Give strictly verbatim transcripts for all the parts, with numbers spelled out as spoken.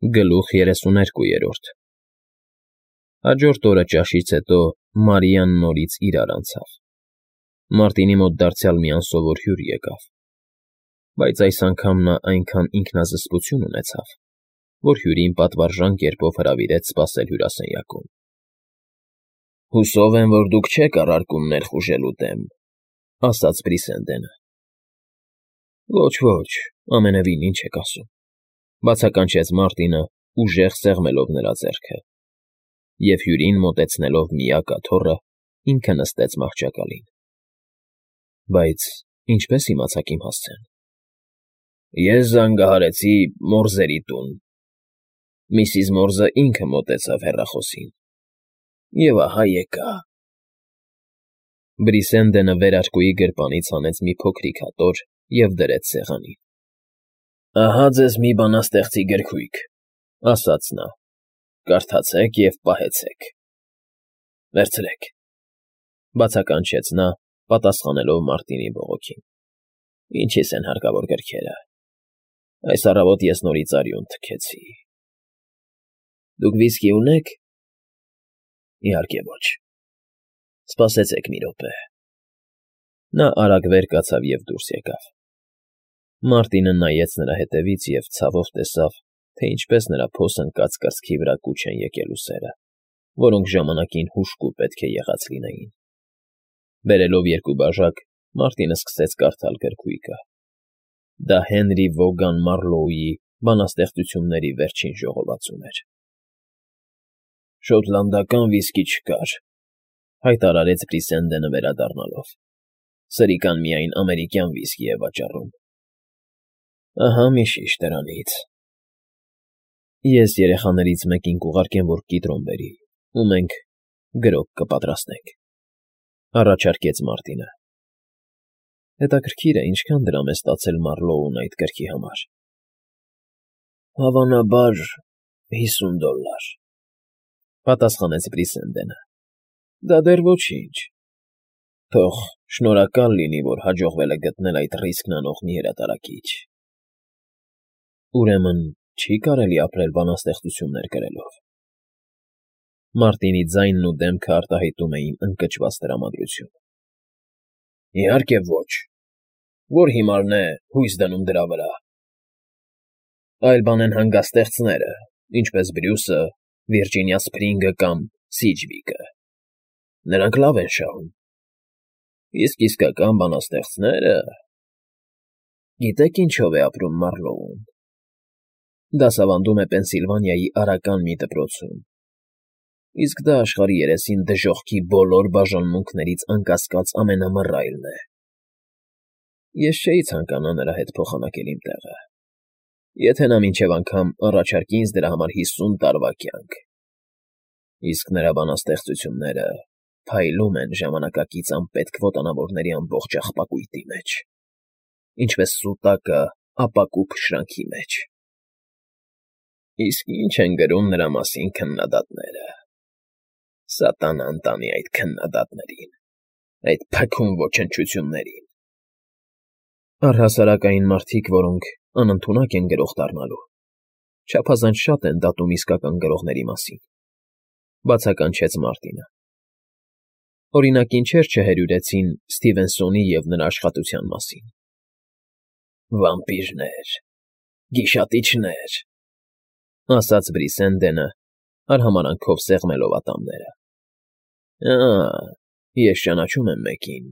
Գլուխ երեսուներկուերորդ Հաջորդ օրը ճաշից հետո Մարիան նորից իրար անցավ. Մարտինի մոտ դարձյալ մի անսովոր հյուր եկավ, բայց այս անգամ նա այնքան ինքնազսպություն ունեցավ, որ հյուրին պատվարժան կերպով հրավիրեց սպասել հյուրասենյակում։ ֊ Հուսով եմ, որ դուք չեք առարկում ներխուժելու դեմ,֊ ասաց Բրիսենդենը։ ֊ Ոչ, ոչ, ամենևին, ինչ եք ասում,֊ բացականչեց Մարտինը, ուժեղ սեղմելով նրա ձեռքը, և հյուրին մոտեցնելով միակ աթոռը, ինքը նստեց մահճակալին։ ֊ Բայց ինչպե՞ս իմացաք իմ հասցեն։ ֊ Ես զանգահարեցի Մորզերի տուն, միսիս Մորզը ինքը մոտեցավ հեռախոսին, և ահա եկա… Բրիսենդենը վերարկուի գրպանից հանեց մի փոքրիկ աթոռ և դրեց սեղանին։ ֊ Ահա ձեզ մի բանաստեղծի գրքույկ,֊ ասաց նա,֊ կարդացեք և պահեցեք։ ֊ Վերցրեք,֊ բացականչեց նա, պատասխանելով Մարտինի բողոքին։ ֊ Ինչիս են հարկավոր գրքերը… Այս առավոտ ես նորից արյուն թքեցի… Դուք վիսկի ունե՞ք։ ֊ Իհարկե ոչ։ ֊ Սպասեցեք մի րոպե… Նա արագ վեր կացավ և դուրս եկավ։ Մարտինը նայեց նրա հետևից և ցավով տեսավ, թե ինչպես նրա փոս ընկած կրծքի վրա կուչ են եկել ուսերը, որոնք ժամանակին հուժկու պետք է եղած լինեին։ Բերելով երկու բաժակ, Մարտինը սկսեց կարդալ գրքույկը. դա Հենրի Վոգան Մարլոուի բանաստեղծությունների վերջին ժողովածուն էր։ ֊ Շոտլանդական վիսկի չկար,֊ հայտարարեց Բրիսենդենը վերադառնալով,֊ սրիկան միայն ամերիկյան վիսկի է վաճառում։ ֊ Ահա մի շիշ դրանից… Ես երեխաներից մեկին կուղարկեմ, որ կիտրոն բերի, ու մենք գրոկ կպատրաստենք,֊ առաջարկեց Մարտինը։ ֊ Հետաքրքիր է, ինչքան դրամ է ստացել Մարլոուն այդ գրքի համար։ ֊ Հավանաբար հիսուն դոլլար,֊ պատասխանեց Բրիսենդենը։ ֊ Դա դեռ ոչինչ… Թող շնորհակալ լինի, որ հաջողվել է գտնել այդ ռիսկն անող մի հրատարակիչ… Ուրեմն չի՞ կարելի ապրել բանաստեղծություններ գրելով… Մարտինի ձայնն ու դեմքը արտահայտում էին ընկճված տրամադրություն։ ֊ Իհարկե ոչ… Ո՞ր հիմարն է հույս դնում դրա վրա… Այլ բան են հանգստեղծները, ինչպես Բրյուսը, Վիրջինիա Սփրինգը կամ Սիջվիկը… Նրանք լավ են շահում… Իսկ իսկական բանաստեղծները… Գիտե՞ք ինչով է ապրում Մարլոուն… Դասավանդում է Պենսիլվանիայի արական մի դպրոցում, իսկ դա աշխարհի երեսին դժոխքի բոլոր բաժանմունքներից անկասկած ամենամռայլն է… Ես չէի ցանկանա նրա հետ փոխանակել իմ տեղը, եթե նա մինչև անգամ առաջարկի ինձ դրա համար հիսուն տարվա կյանք… Իսկ նրա բանաստեղծությունները փայլում են ժամանակակից անպետք ոտանավորների ամբողջ աղբակույտի մեջ, ինչպես սուտակը ապակու փշրանքի մեջ… Իսկ ինչ են գրում նրա մասին քննադատները… Սատանան տանի այդ քննադատներին, այդ փքում ոչնչություններին… Առհասարակային մարդիկ, որոնք անընդունակ են գրող դառնալու, չափազանց շատ են դատում իսկական գրողների մասին,֊ բացականչեց Մարտինը։ Օրինակ, ինչեր չհերյուրեցին Սթիվենսոնի և նրա աշխատության մասին… Վամպիրներ… Գիշատիչներ…֊ ասաց Բրիսենդենը, արհամարանքով սեղմելով ատամները։ ֊ Ա՜, ես ճանաչում եմ մեկին,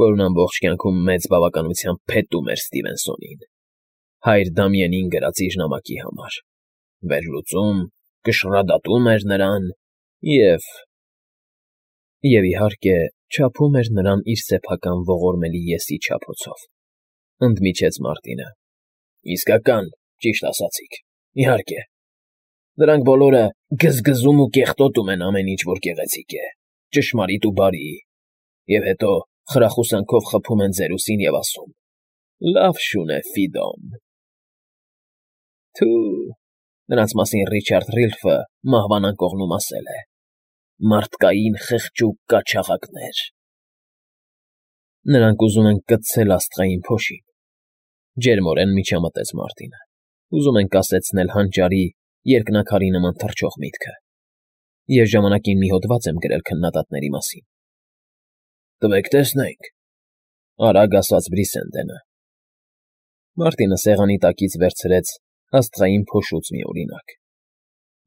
որն ամբողջ կյանքում մեծ բավականությամբ փետում էր Սթիվենսոնին, հայր Դամիենին գրած իր նամակի համար, վերլուծում, կշռադատում էր նրան և… և, իհարկե, չափում էր նրան իր սեփական ողորմելի ես֊ի չափոցով,֊ ընդմիջեց Մարտինը։ ֊ Իսկական, ճիշտ ասացիք, իհարկե… Նրանք բոլորը գզգզում ու կեղտոտում են ամեն ինչ, որ գեղեցիկ է, ճշմարիտ ու բարի, և հետո խրախուսանքով խփում են ձեր ուսին և ասում. «Լավ շուն է, Ֆիդոն»… Թո՛ւ… Նրանց մասին Ռիչարդ Ռիլֆը մահվան անկողնում ասել է. «Մարդկային խղճուկ կաչաղակներ»… Նրանք ուզում են կցցել աստղային փոշին,֊ ջերմորեն միջամտեց Մարտինը։ ուզում են կասեցնել հանճարի, երկնաքարի նման թռչող միտքը, ես ժամանակին մի հոդված եմ գրել քննադատների մասին։ ֊ Տվեք տեսնենք,֊ արագ ասաց Բրիսենդենը։ Մարտինը սեղանի տակից վերցրեց աստղային փոշուց մի օրինակ,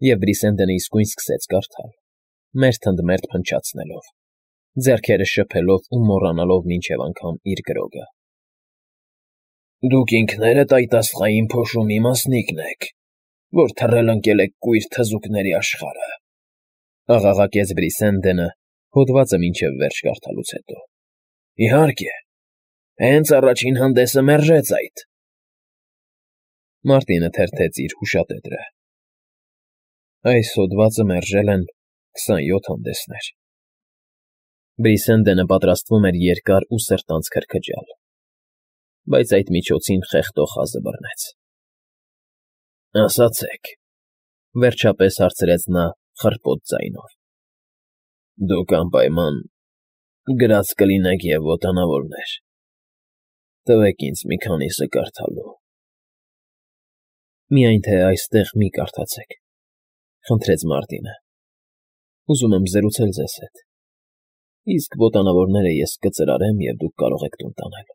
և Բրիսենդենը իսկույն սկսեց կարդալ, մերթ ընդ մերթ փնչացնելով, ձեռքերը շփելով ու մոռանալով մինչև անգամ իր գրոգը։ «Դուք ինքներդ այդ աստղային փոշու մի մասնիկն եք, որ թռել ընկել եք կույր թզուկների աշխարհը,֊ աղաղակեց Բրիսենդենը հոդվածը մինչև վերջ կարդալուց հետո։ ֊ Իհարկե, հենց առաջին հանդեսը մերժեց այդ…» Մարտինը թերթեց իր հուշատետրը։ «Այս հոդվածը մերժել են քսանյոթ հանդեսներ…» Բրիսենդենը պատրաստվում էր երկար ու սրտանց քրքջալ, բայց այդ միջոցին խեղդող խազը բռնեց։ ֊ Ասացեք,֊ վերջապես հարցրեց նա խռպոտ ձայնով,֊ դուք անպայման գրած կլինեք և ոտանավորներ… Տվեք ինձ մի քանիսը կարդալու… Միայն թե այստեղ մի կարդացեք,֊ խնդրեց Մարտինը,֊ ուզում եմ զրուցել ձեզ հետ, իսկ ոտանավորները ես կծրարեմ, և դուք կարող եք տուն տանել…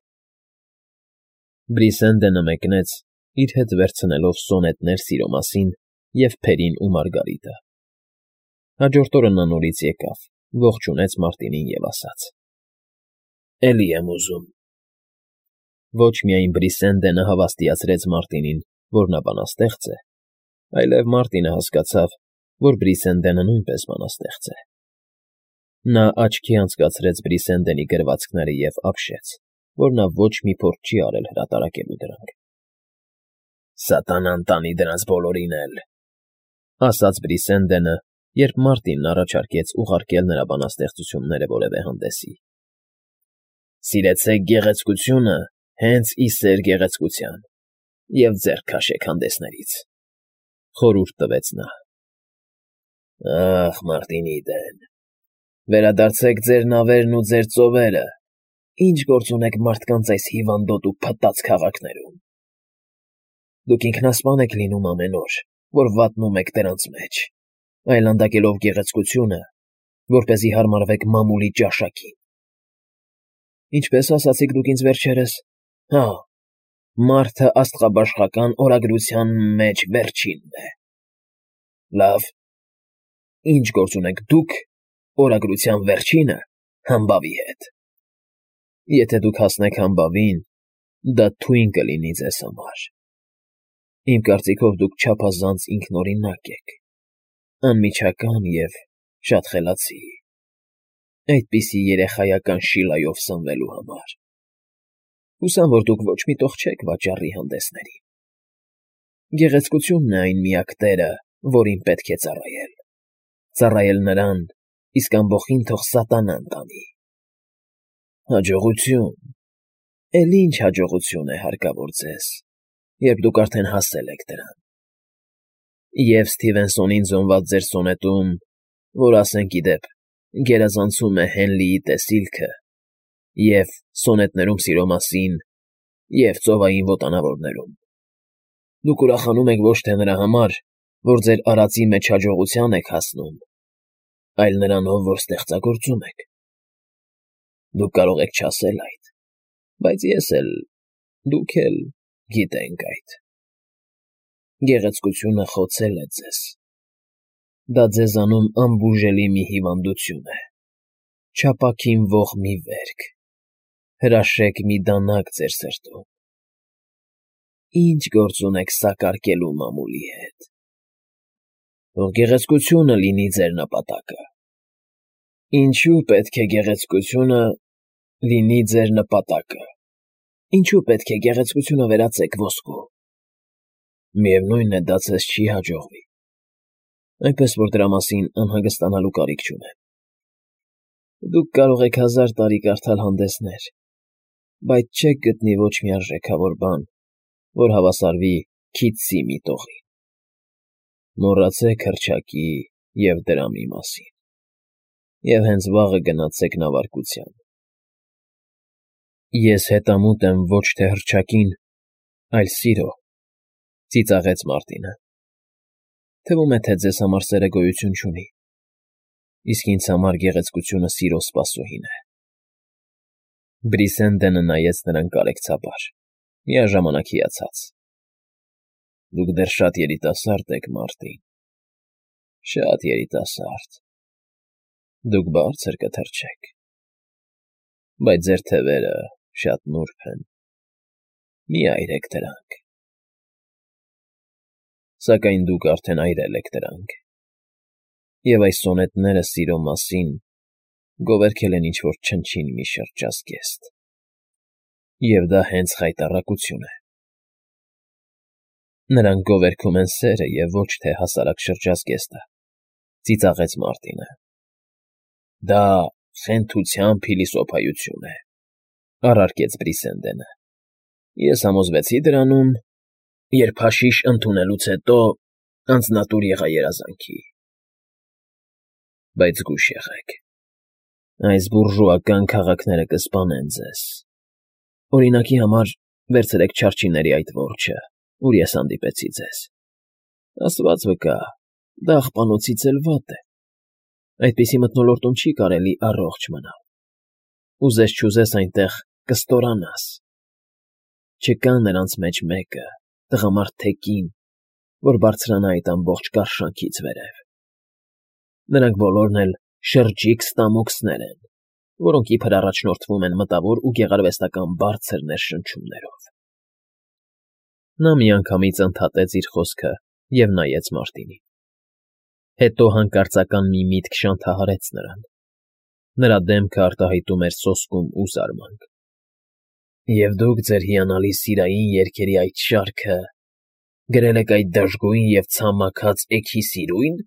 Բրիսենդենը մեկնեց, իր հետ վերցնելով սոնետներ սիրո մասին և Փերին ու Մարգարիտը։ Հաջորդ օրը նա նորից եկավ, ողջունեց Մարտինին և ասաց. «Էլի եմ ուզում…» Ոչ միայն Բրիսենդենը հավաստիացրեց Մարտինին, որ նա բանաստեղծ է, այլև Մարտինը հասկացավ, որ Բրիսենդենը նույնպես բանաստեղծ է։ Նա աչքի անցկացրեց Բրիսենդենի գրվածքները և ապշեց, որ նա ոչ մի փորձ չի արել հրատարակելու դրանք։ «Սատանան տանի դրանց բոլորին էլ,֊ ասաց Բրիսենդենը, երբ Մարտինն առաջարկեց ուղարկել նրա բանաստեղծությունները որևէ հանդեսի։ Սիրեցեք գեղեցկությունը հենց ի սեր գեղեցկության և ձեռք քաշեք հանդեսներից,֊ խորհուրդ տվեց նա։ Ախ, Մարտինի դեն… Վերադարձեք ձեր նավերն ու ձեր ծովերը, ինչ գործ ունեք մարդկանց այս հիվանդոտ ու փտած քաղաքներում… Դուք ինքնասպան եք լինում ամեն օր, որ վատնում եք դրանց մեջ, այլանդակելով գեղեցկությունը, որպեսզի հարմարվեք մամուլի ճաշակին… Ինչպե՞ս ասացիք դուք ինձ վերջերս… Հա, մարդը աստղաբաշխական օրագրության մեջ վերջինն է… Լավ, ի՞նչ գործ ունեք դուք օրագրության վերջինը համբավի հետ… Եթե դուք հասնեք համբավին, դա թույն կլինի ձեզ համար… Իմ կարծիքով դուք չափազանց ինքնօրինակ եք, անմիջական և շատ խելացի, այդպիսի երեխայական շիլայով սնվելու համար… Հուսամ, որ դուք ոչ մի տող չեք վաճառի հանդեսներին… Գեղեցկությունն է այն միակ տերը, որին պետք է ծառայել… Ծառայել նրան, իսկ ամբոխին թող սատանան տանի… Հաջողություն… Էլի ինչ հաջողություն է հարկավոր ձեզ, երբ դուք արդեն հասել եք դրան… Եվ Սթիվենսոնին զոնված ձեր սոնետում, որ, ասենք ի դեպ, գերազանցում է Հենլիի տեսիլքը, և սոնետներում սիրո մասին, և ծովային ոտանավորներում… Դուք ուրախանում եք ոչ թե նրա համար, որ ձեր արածի մեջ հաջողության եք հասնում, այլ նրանով, որ ստեղծագործում եք… Դուք կարող եք չասել այդ, բայց ես էլ, դուք էլ գիտենք այդ… Գեղեցկությունը խոցել է ձեզ… Դա ձեզանում անբուժելի մի հիվանդություն է, չափաքինվող մի վերք, հրաշեք մի դանակ ձեր սրտում… Ի՞նչ գործ ունեք սակարկելու մամուլի հետ… Թող գեղեցկությունը լինի ձեր նպատակը… Ինչո՞ւ պետք է գեղեցկությունը լինի ձեր նպատակը… Ինչո՞ւ պետք է գեղեցկությունը վերածեք ոսկու… Միևնույն է, դա ձեզ չի հաջողվի, այնպես որ դրա մասին անհանգստանալու կարիք չունեմ… Դուք կարող եք հազար տարի կարդալ հանդեսներ, բայց չեք գտնի ոչ մի արժեքավոր բան, որ հավասարվի Քիթսի միտողին… Մոռացեք հռչակի և դրամի մասին և հենց վաղը գնացեք նավարկության… Ես հետամուտ եմ ոչ թե հռչակին, այլ սիրո, Ծիծաղեց Մարտինը։ Թվում է, թե ձեզ համար սերը գոյություն չունի, իսկ ինձ համար գեղեցկությունը սիրո սպասուհին է։ Բրիսենդենը նայեց նրան կարեկցաբար, միաժամանակ հիացած։ Դուք դեռ շատ երիտասարդ եք, Մարտին, շատ երիտասարդ։ Դուք բարձր կթռչեք, բայց ձեր թևերը շատ նուրբ են, մի այրեք դրանք։ Սակայն դուք արդեն այրել եք դրանք, և այս սոնետները սիրո մասին գովերգել են ինչ-որ չնչին մի շրջազգեստ, և դա հենց խայտառակություն է։ Նրանք գովերգում են սերը և ոչ թե հասարակ շրջազգեստը, ծիծաղեց Մարտինը։ Դա խենթության փիլիսոփայություն է, առարկեց Բրիսենդենը։ Ես համոզվեցի դրանում, երբ հաշիշ ընդունելուց հետո անձնատուր եղա երազանքի։ Բայց զգույշ եղեք, այս բուրժուական քաղաքները կսպանեն ձեզ։ Օրինակի համար վերցրեք չարչիների այդ որջը, ուր ես հանդիպեցի ձեզ։ Աստված վկա, դա աղբանոցից էլ վատ է։ Այդպիսի մթնոլորտում չի կարելի առողջ մնալ։ Ուզես-չուզես այնտեղ կստորանաս։ Չկա նրանց մեջ մեկը, տղամարդ թե կին, որ բարձրանա այդ ամբողջ կարշանքից վերև։ Նրանք բոլորն էլ շրջիկ ստամոքսներ են, որոնք իբր առաջնորդվում են մտավոր ու գեղարվեստական բարձր ներշնչումներով։ Նա միանգամից ընդհատեց իր խոսքը և նայեց Մարտինին։ Հետո հանկարծական մի միտք շանթահարեց նրան։ Նրա դեմքը արտահայտում էր սոսկում ու զարմանք։ Եվ դուք ձեր հիանալի սիրային երգերի այդ շարքը գրել եք այդ դժգույն և ցամաքած էգի սիրույն։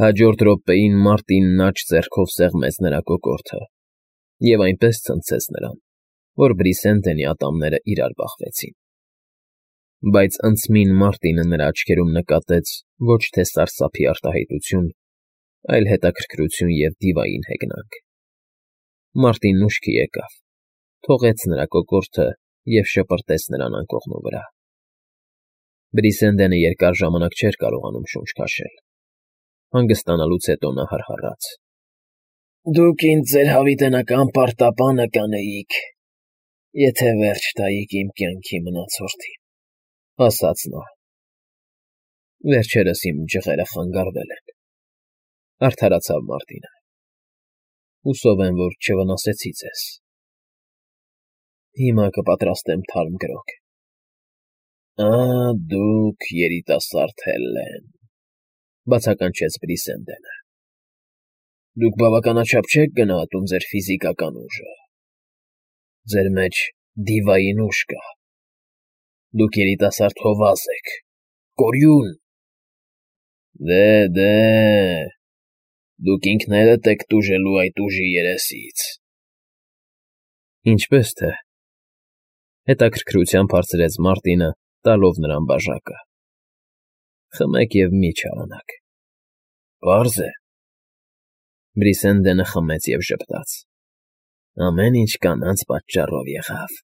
Հաջորդ րոպեին Մարտինն աջ ձեռքով սեղմեց նրա կոկորդը և այնպես ցնցեց նրան, որ Բրիսենդենի ատամները իրար բախվեցին։ Բայց անցմին Մարտինը նրա աչքերում նկատեց ոչ թե սարսափի արտահայտություն, այլ հետաքրքրություն և դիվային հեգնանք։ Մարտինն ուշքի եկավ, թողեց նրա կոկորդը և շպրտեց նրան անկողնու վրա։ Բրիսենդենը երկար ժամանակ չէր կարողանում շունչ քաշել։ Հանգստանալուց հետո նա հռհռաց. Դուք ինձ ձեր հավիտենական պարտապանը կանեիք, եթե վերջ տայիք իմ կյանքի մնացորդին, ասաց նա։ Վերջերս իմ ջղերը խանգարվել են, արդարացավ Մարտինը։ Հուսով եմ, որ չվնասեցի ձեզ։ Հիմա կպատրաստեմ թարմ գրոג։ Ա՜, դուք երիտասարդ Հելլեն, բացականչեց Բրիսենդենը։ Դուք բավականաչափ չեք գնահատում ձեր ֆիզիկական ուժը։ Ձեր մեջ դիվային ուժ կա։ Դուք երիտասարդ հովազ եք, կորյուն։ Դե, դե, դուք ինքներդ եք տուժելու այդ ուժի երեսից։ Ինչպե՞ս թե, հետաքրքրությամբ հարցրեց Մարտինը, տալով նրան բաժակը։ Խմեք և մի չարանաք։ Պարզ է։ Բրիսենդենը խմեց և ժպտաց։ Ամեն ինչ կանանց պատճառով եղավ։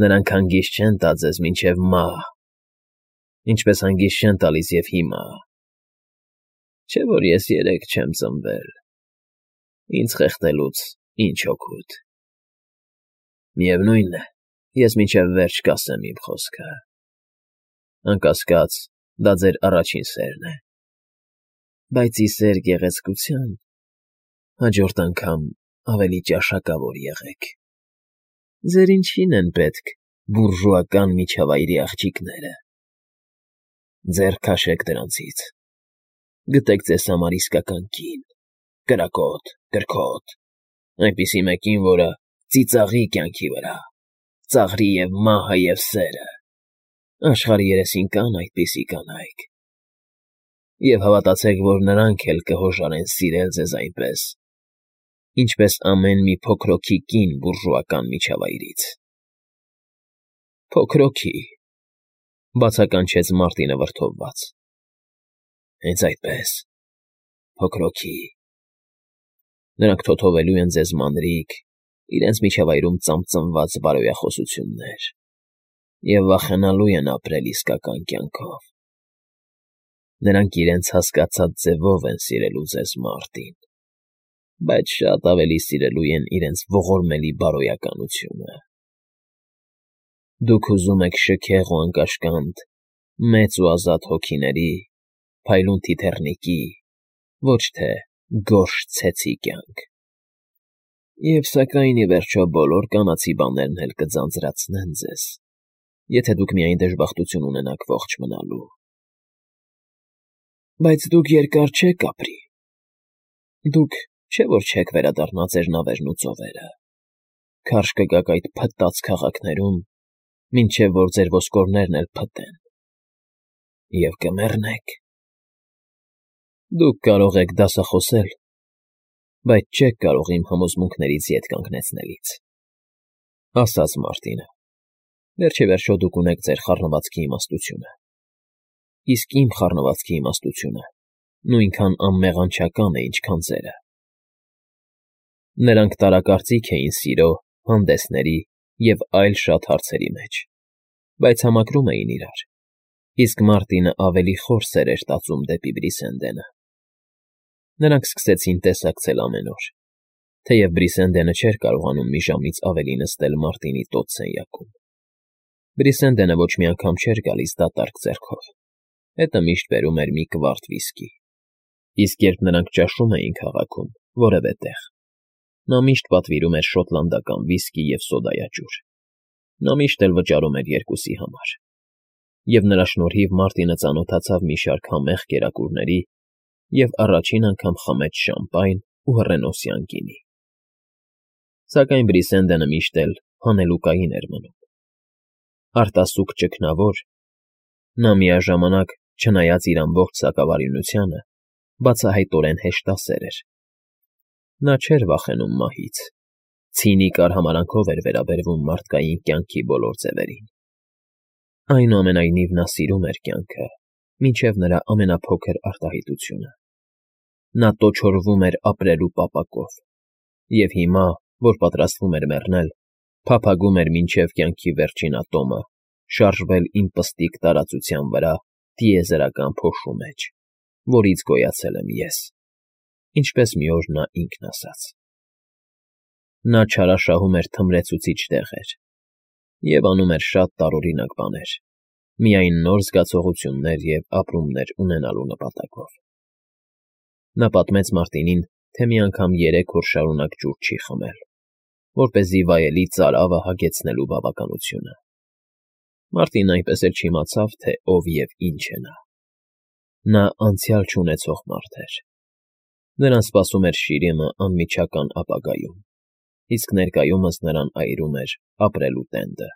Նրանք հանգիստ չեն տա ձեզ մինչև մահ, ինչպես հանգիստ չեն տալիս և հիմա։ Չէ՞ որ ես երեկ չեմ ծնվել, ինձ խեղդելուց ինչ օգուտ։ Միևնույն է, ես մինչև վերջ կասեմ իմ խոսքը։ Անկասկած, դա ձեր առաջին սերն է, բայց ի սեր գեղեցկության հաջորդ անգամ ավելի ճաշակավոր եղեք։ Ձեր ինչին են պետք բուրժուական միջավայրի աղջիկները։ Ձեռք քաշեք դրանցից։ Գտեք ձեզ համար իսկական կին, կրակոտ, կրքոտ, այնպիսի մեկին, որը ծիծաղի կյանքի վրա, ծաղրի և մահը և սերը։ Աշխարհի երեսին կան այդպիսի կանայք։ Եվ հավատացեք, որ նրանք էլ կհոժարեն սիրել ձեզ այնպես, ինչպես ամեն մի փոքրոքի կին բուրժուական միջավայրից։ Փոքրոքի, բացականչեց Մարտինը վրդովված։ Հենց այդպես, փոքրոքի։ Նրանք թոթովելու են ձեզ մանրիկ, իրենց միջավայրում ծամծմված բարոյախոսություններ, Եվ վախենալու են ապրել իսկական կյանքով։ Նրանք իրենց հասկացած ձևով են սիրելու ձեզ, Մարտին, բայց շատ ավելի սիրելու են իրենց ողորմելի բարոյականությունը։ Դուք ուզում եք շքեղ ու անկաշկանդ, մեծ ու ազատ հոգիների, փայլուն թիթեռնիկի, ոչ թե գորշ ցեցի կյանք։ Եվ սակայն, ի վերջո, բոլոր կանացի բաներն էլ կձանձրացնեն ձեզ, եթե դուք միայն դժբախտություն ունենաք ողջ մնալու։ Բայց դուք երկար չեք ապրի։ Դուք չէ՞ որ չեք վերադառնա ձեր նավերն ու ծովերը, քարշ կգաք այդ փտած քաղաքներում, մինչև որ ձեր ոսկորներն էլ փտեն, և կմեռնեք։ Դուք կարող եք դասախոսել, բայց չեք կարող իմ համոզմունքներից ետ կանգնեցնելիս,֊ ասաց Մարտինը։ Վերջիվերջո դուք ունեք ձեր խառնվածքի իմաստությունը, իսկ իմ խառնվածքի իմաստությունը նույնքան անմեղանչական է, ինչքան ձերը։ Նրանք տարակարծիք էին սիրո, հանդեսների և այլ շատ հարցերի մեջ, բայց համակրում էին իրար, իսկ Մարտինը ավելի խոր սեր էր տածում դեպի Բրիսենդենը։ Նրանք սկսեցին տեսակցել ամեն օր, թեև Բրիսենդենը չէր կարողանում մի ժամից ավելի նստել Մարտինի տոտ սենյակում։ Բրիսենդենը ոչ մի անգամ չէր գալիս դատարկ ձեռքով, հետը միշտ բերում էր մի կվարտ վիսկի, իսկ երբ նրանք ճաշում էին քաղաքում որևէ տեղ, նա միշտ պատվիրում էր շոտլանդական վիսկի և սոդայաճուր։ Նա միշտ էլ վճարում էր երկուսի համար, և նրա շնորհիվ Մարտինը ծանոթացավ մի շարք համեղ կերակուրների և առաջին անգամ խմեց շամպայն ու հռենոսյան գինի։ Սակայն Բրիսենդենը միշտ էլ հանելուկային էր մնում։ Արտասուք ճգնավոր, նա միաժամանակ, չնայած իր ամբողջ սակավարյունությանը, բացահայտորեն հեշտասեր էր։ Նա չէր վախենում մահից, ցինիկ արհամարհանքով էր վերաբերվում մարդկային կյանքի բոլոր ձևերին։ Այնուամենայնիվ նա սիրում էր կյանքը, մինչև նրա ամենափոքր արտահայտությունը։ Նա տոչորվում էր ապրելու պապակով, և հիմա, որ պատրաստվում էր մեռնել, փափագում էր մինչև կյանքի վերջին ատոմը շարժվել իմ պստիկ տարածության վրա տիեզերական փոշու մեջ, որից գոյացել եմ ես, ինչպես մի օր նա ինքն ասաց։ Նա չարաշահում էր թմրեցուցիչ տեղեր և անում էր շատ տարօրինակ բաներ, միայն նոր զգացողություններ և ապրումներ ունենալու նպատակով։ Նա պատմեց Մարտինին, թե մի անգամ երեք օր շարունակ ջուր չի խմել, որպեսզի վայելի ծարավը հագեցնելու բավականությունը։ Մարտինն այնպես էլ չիմացավ, թե ով և ինչ է նա։ Նա անցյալ չունեցող մարդ էր։ Նրան սպասում էր շիրիմը անմիջական ապագայում, իսկ ներկայումս նրան այրում էր ապրելու տենդը։